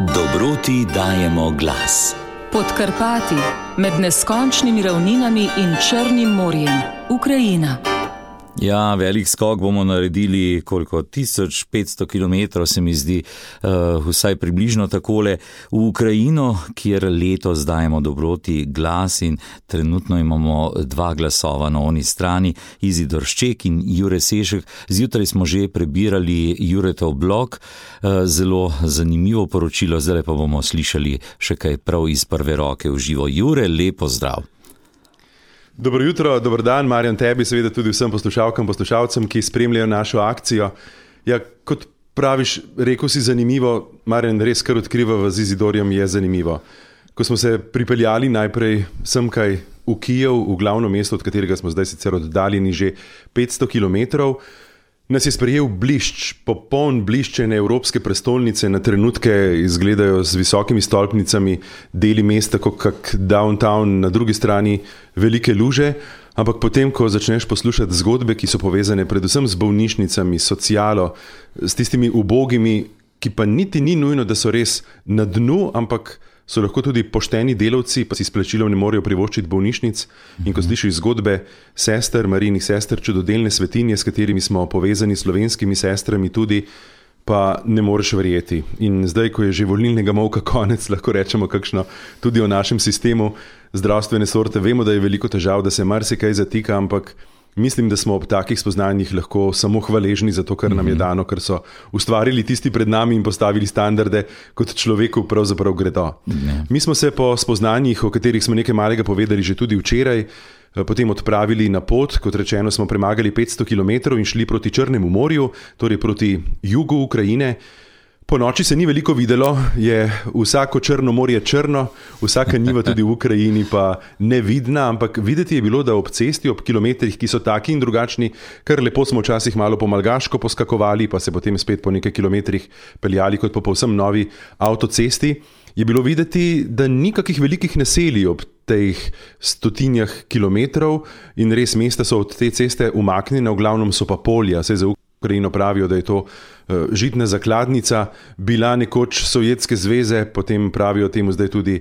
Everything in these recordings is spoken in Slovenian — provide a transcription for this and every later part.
Dobroti dajemo glas. Pod Karpati, med neskončnimi ravninami in Črnim morjem, Ukrajina. Ja, velik skok bomo naredili, koliko, 1500 km se mi zdi, vsaj približno takole, v Ukrajino, kjer letos dajemo Dobroti glas in trenutno imamo 2 glasova na oni strani, Izidor Šček in Jure Sešek. Zjutraj smo že prebirali Juretov blog, zelo zanimivo poročilo, zdaj pa bomo slišali še kaj prav iz prve roke v živo. Jure, lepo zdrav. Dobro jutro, dober dan, Marjan, tebi, seveda tudi vsem poslušalkam, poslušalcem, ki spremljajo našo akcijo. Ja, kot praviš, rekel si zanimivo, Marjan, res kar odkrivava z Izidorjem je zanimivo. Ko smo se pripeljali najprej semkaj v Kijev, v glavno mesto, od katerega smo zdaj sicer oddaljeni že 500 kilometrov, nas je sprejel blišč, popoln bliščene evropske prestolnice, na trenutke izgledajo z visokimi stolpnicami, deli mesta kot kak downtown, na drugi strani velike luže, ampak potem, ko začneš poslušati zgodbe, ki so povezane predvsem z bolnišnicami, socialo, s tistimi ubogimi, ki pa niti ni nujno, da so res na dnu, ampak so lahko tudi pošteni delavci, pa si s plačilom ne morejo privoščiti bolnišnic. In ko slišiš zgodbe sester, Marijinih sester, čudodelne svetinje, s katerimi smo povezani s slovenskimi sestrami tudi, pa ne moreš verjeti. In zdaj, ko je že volilnega molka konec, lahko rečemo kakšno tudi o našem sistemu zdravstvene sorte. Vemo, da je veliko težav, da se marsikaj zatika, ampak mislim, da smo ob takih spoznanjih lahko samo hvaležni za to, kar nam je dano, ker so ustvarili tisti pred nami in postavili standarde, kot človeku pravzaprav gredo. Mi smo se po spoznanjih, o katerih smo nekaj malega povedali že tudi včeraj, potem odpravili na pot, kot rečeno smo premagali 500 km in šli proti Črnemu morju, torej proti jugu Ukrajine. Po noči se ni veliko videlo, je vsako Črno morje črno, vsaka njiva tudi v Ukrajini pa nevidna, ampak videti je bilo, da ob cesti, ob kilometrih, ki so taki in drugačni, kar lepo smo včasih malo po malgaško poskakovali, pa se potem spet po nekaj kilometrih peljali kot po povsem novi avtocesti, je bilo videti, da ni kakih velikih naselij ob teh 100 kilometrov in res mesta so od te ceste umaknjene, v glavnem so pa polja, saj za Ukrajino pravijo, da je to žitna zakladnica, bila nekoč Sovjetske zveze, potem pravijo temu zdaj tudi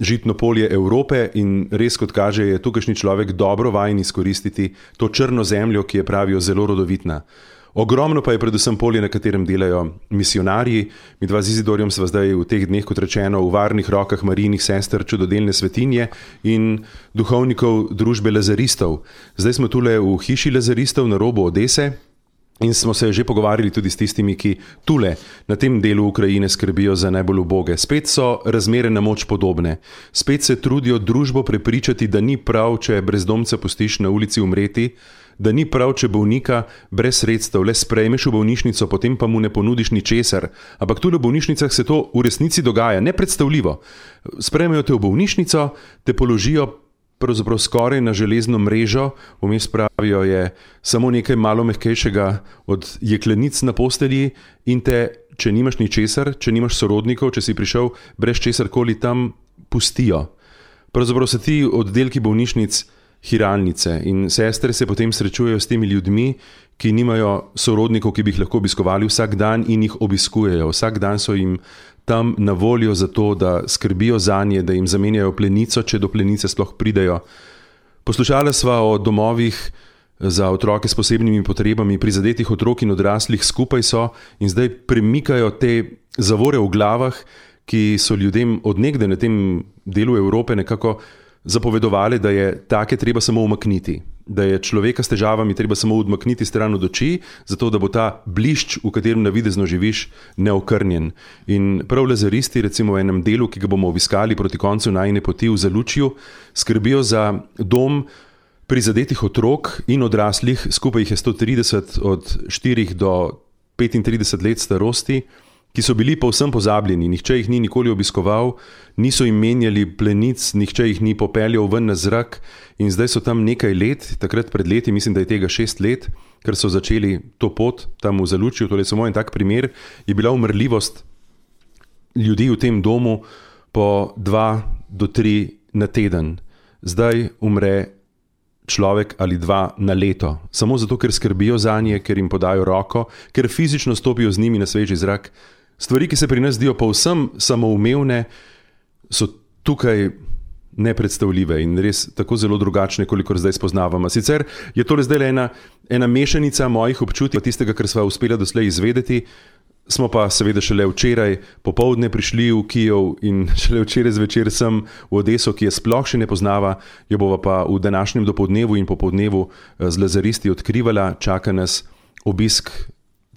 žitno polje Evrope in res, kot kaže, je tukajšnji človek dobro vajen izkoristiti to črno zemljo, ki je, pravijo, zelo rodovitna. Ogromno pa je predvsem polje, na katerem delajo misionarji. Mi dva z Izidorjem sva zdaj v teh dneh, kot rečeno, v varnih rokah Marijinih sester, čudodelne svetinje in duhovnikov družbe lazaristov. Zdaj smo tule v hiši lazaristov na robu Odese, in smo se že pogovarjali tudi s tistimi, ki tule na tem delu Ukrajine skrbijo za najbolj uboge. Spet so razmere na moč podobne. Spet se trudijo družbo prepričati, da ni prav, če brezdomca pustiš na ulici umreti, da ni prav, če bolnika brez sredstev le sprejmeš v bolnišnico, potem pa mu ne ponudiš ničesar. Ampak tule v bolnišnicah se to v resnici dogaja, nepredstavljivo. Sprejmejo te v bolnišnico, te položijo pravzaprav skoraj na železno mrežo, vmes pravijo je samo nekaj malo mehkejšega od jeklenic na postelji in te, če nimaš ničesar, če nimaš sorodnikov, če si prišel brez česarkoli tam, pustijo. Pravzaprav so ti oddelki bolnišnic hiralnice in sestre se potem srečujejo s temi ljudmi, ki nimajo sorodnikov, ki bi jih lahko obiskovali vsak dan in jih obiskujejo. Vsak dan so jim tam na voljo za to, da skrbijo zanje, da jim zamenjajo plenico, če do plenice sploh pridejo. Poslušala sva o domovih za otroke s posebnimi potrebami, prizadetih otrok in odraslih, skupaj so in zdaj premikajo te zavore v glavah, ki so ljudem od nekdaj na tem delu Evrope nekako zapovedovali, da je take treba samo umakniti, da je človeka s težavami treba samo odmakniti stran od oči, zato da bo ta blišč, v katerem navidezno živiš, neokrnjen. In prav lazaristi, recimo v enem delu, ki ga bomo obiskali proti koncu najine poti v Zalučju, skrbijo za dom prizadetih otrok in odraslih, skupaj jih je 130 od 4 do 35 let starosti, ki so bili povsem pozabljeni, nihče jih ni nikoli obiskoval, niso jim menjali plenic, nihče jih ni popeljal ven na zrak in zdaj so tam nekaj let, takrat pred leti, mislim, da je tega 6 let, ker so začeli to pot tam v Zalučju, torej samo en tak primer, je bila umrljivost ljudi v tem domu po 2 do 3 na teden. Zdaj umre človek ali 2 na leto, samo zato, ker skrbijo zanje, ker jim podajo roko, ker fizično stopijo z njimi na sveži zrak, Stvari, ki se pri nas zdijo povsem samoumevne, so tukaj nepredstavljive in res tako zelo drugačne, kolikor zdaj spoznavamo. Sicer je tole zdaj ena mešanica mojih občutij, tistega, kar sva uspela doslej izvedeti. Smo pa seveda šele včeraj popoldne prišli v Kijev in šele včeraj zvečer sem v Odeso, ki je sploh še ne poznava, jo bova pa v današnjem dopoldnevu in popoldnevu z lazaristi odkrivala. Čaka nas obisk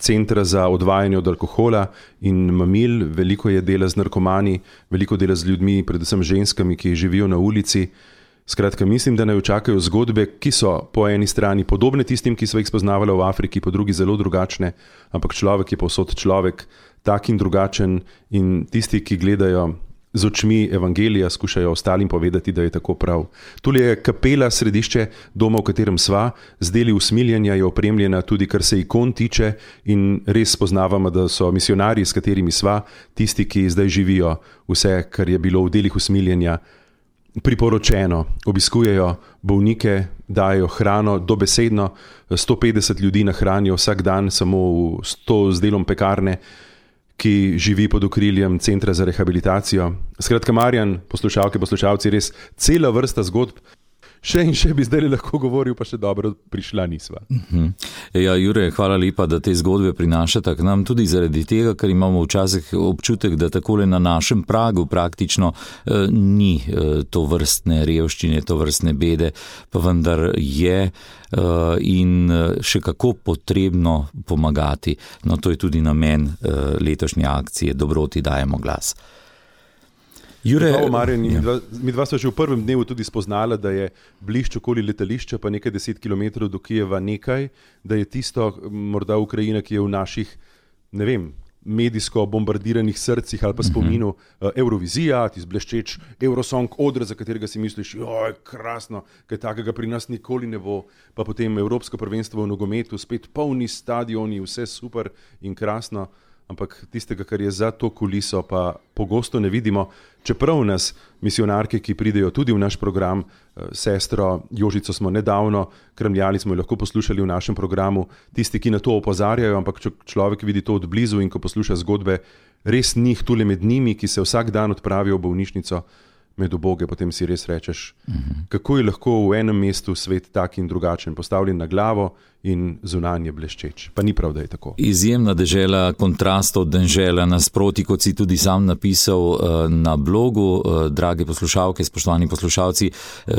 centra za odvajanje od alkohola in mamil, veliko je dela z narkomani, veliko dela z ljudmi, predvsem ženskami, ki živijo na ulici. Skratka, mislim, da naj čakajo zgodbe, ki so po eni strani podobne tistim, ki so jih spoznavali v Afriki, po drugi zelo drugačne, ampak človek je povsod človek, tak in drugačen, in tisti, ki gledajo z očmi evangelija, skušajo ostalim povedati, da je tako prav. Tule je kapela, središče doma, v katerem sva, z deli usmiljenja je opremljena tudi, kar se ikon tiče, in res spoznavamo, da so misionarji, s katerimi sva, tisti, ki zdaj živijo vse, kar je bilo v delih usmiljenja priporočeno. Obiskujejo bolnike, dajo hrano, dobesedno 150 ljudi nahranijo vsak dan, samo z delom pekarne, ki živi pod okriljem Centra za rehabilitacijo. Skratka, Marjan, poslušalke, poslušalci, res cela vrsta zgodb. Še in še bi zdaj lahko govoril, pa še dobro prišla nisva. Ja, Jure, hvala lepa, da te zgodbe prinašate k nam, tudi zaradi tega, ker imamo včasih občutek, da takole na našem pragu praktično ni to vrstne revščine, to vrstne bede, pa vendar je in še kako potrebno pomagati. No, to je tudi namen letošnje akcije Dobroti dajemo glas. Jure, Marjan, mi dva sva že v prvem dnevu tudi spoznala, da je blišč okoli letališča, pa nekaj 10 kilometrov do Kijeva nekaj, da je tisto morda Ukrajina, ki je v naših, ne vem, medijsko bombardiranih srcih ali pa spominu, Eurovizija, tisti bleščeč Eurosong odr, za katerega si misliš, joj, krasno, kaj takega pri nas nikoli ne bo, pa potem Evropsko prvenstvo v nogometu, spet polni stadioni, vse super in krasno. Ampak tistega, kar je za to kuliso, pa pogosto ne vidimo, čeprav nas misionarke, ki pridejo tudi v naš program, sestro Jožico smo nedavno kramljali, smo jo lahko poslušali v našem programu, tisti, ki na to opozarjajo, ampak če človek vidi to od blizu in ko posluša zgodbe, res njih tule med njimi, ki se vsak dan odpravijo v bolnišnico med uboge, potem si res rečeš, kako je lahko v enem mestu svet tak in drugačen, postavljen na glavo in zunanje bleščeč. Pa ni prav, da je tako. Izjemna dežela, kontrastov dežela, nasproti, kot si tudi sam napisal na blogu. Drage poslušalke, spoštovani poslušalci,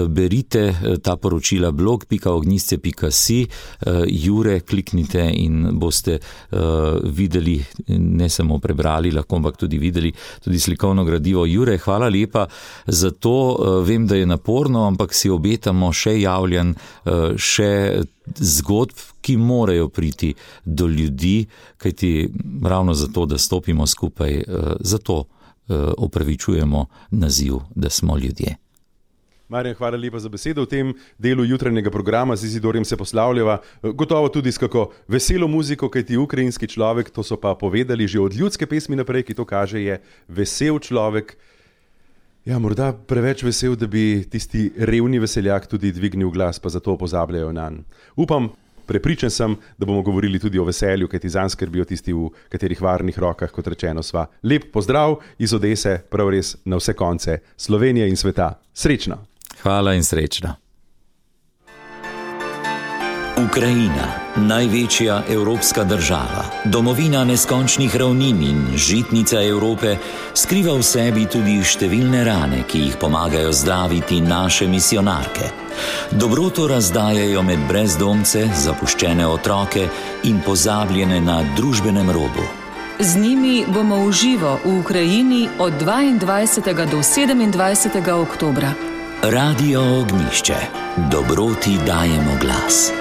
berite ta poročila blog.ognjisce.si, Jure, kliknite in boste videli, ne samo prebrali, lahko ampak tudi videli, tudi slikovno gradivo. Jure, hvala lepa za to. Vem, da je naporno, ampak si obetamo še javljanj, še zgodb, ki morajo priti do ljudi, kajti ravno zato, da stopimo skupaj, zato opravičujemo naziv, da smo ljudje. Marjan, hvala lepa za besedo. V tem delu jutranjega programa z Izidorjem se poslavljava, gotovo tudi s kako veselo muziko, kajti ukrajinski človek, to so pa povedali že od ljudske pesmi naprej, ki to kaže, je vesel človek. Ja, morda preveč vesel, da bi tisti revni veseljak tudi dvignil glas, pa zato pozabljajo nanj. Upam, prepričan sem, da bomo govorili tudi o veselju, kajti zanj skrbijo tisti, v katerih varnih rokah, kot rečeno sva. Lep pozdrav iz Odese, prav res na vse konce Slovenije in sveta. Srečno! Hvala in srečno! Ukrajina, največja evropska država, domovina neskončnih ravnin in žitnica Evrope, skriva v sebi tudi številne rane, ki jih pomagajo zdraviti naše misionarke. Dobroto razdajajo med brezdomce, zapuščene otroke in pozabljene na družbenem robu. Z njimi bomo v živo v Ukrajini od 22. do 27. oktobra. Radio Ognjišče. Dobroti dajemo glas.